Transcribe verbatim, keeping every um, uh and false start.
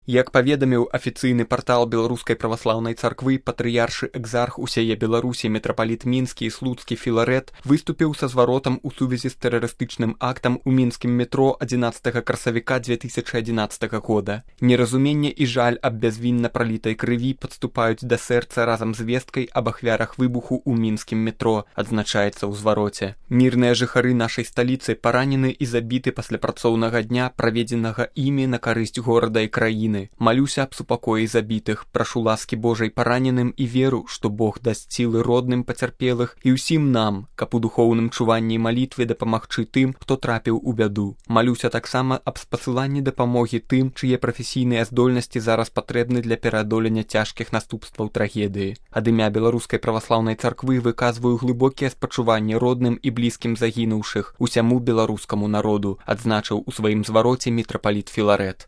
Як паведаміў афіцыйны партал Беларускай праваслаўнай царквы, патрыяршы экзарх усяе Беларусі мітрапаліт мінскі і слуцкі Філарэт выступіў са зваротам у сувязі з тэрарыстычным актам у мінскім метро адзінаццатага красавіка дзве тысячы адзінаццатага года. Неразуменне і жаль аб бязвінна пралітай крыві падступаюць да сэрца разам з весткай аб ахвярах выбуху ў мінскім метро, адзначаецца ў звароце. Мірныя жыхары нашай сталіцы паранены і забіты пасля працоўнага дня, праведзенага імі на карысць горада і краіны. Малюся аб супакоі забітых, прашу ласкі Божай параненым і веру, што Бог дасць сілы родным пацярпелых і ўсім нам, каб у духоўным чуванні і малітве дапамагчы тым, хто трапіў у бяду. Малюся таксама аб спасыланні дапамогі тым, чые прафесійныя здольнасці зараз патрэбны для пераадолення цяжкіх наступстваў трагедыі. Ад імя Беларускай праваслаўнай царквы выказваю глыбокія спачуванні родным і блізкім загінуўшых, усяму беларускаму народу, адзначыў у сваім звароце мітрапаліт Філарэт.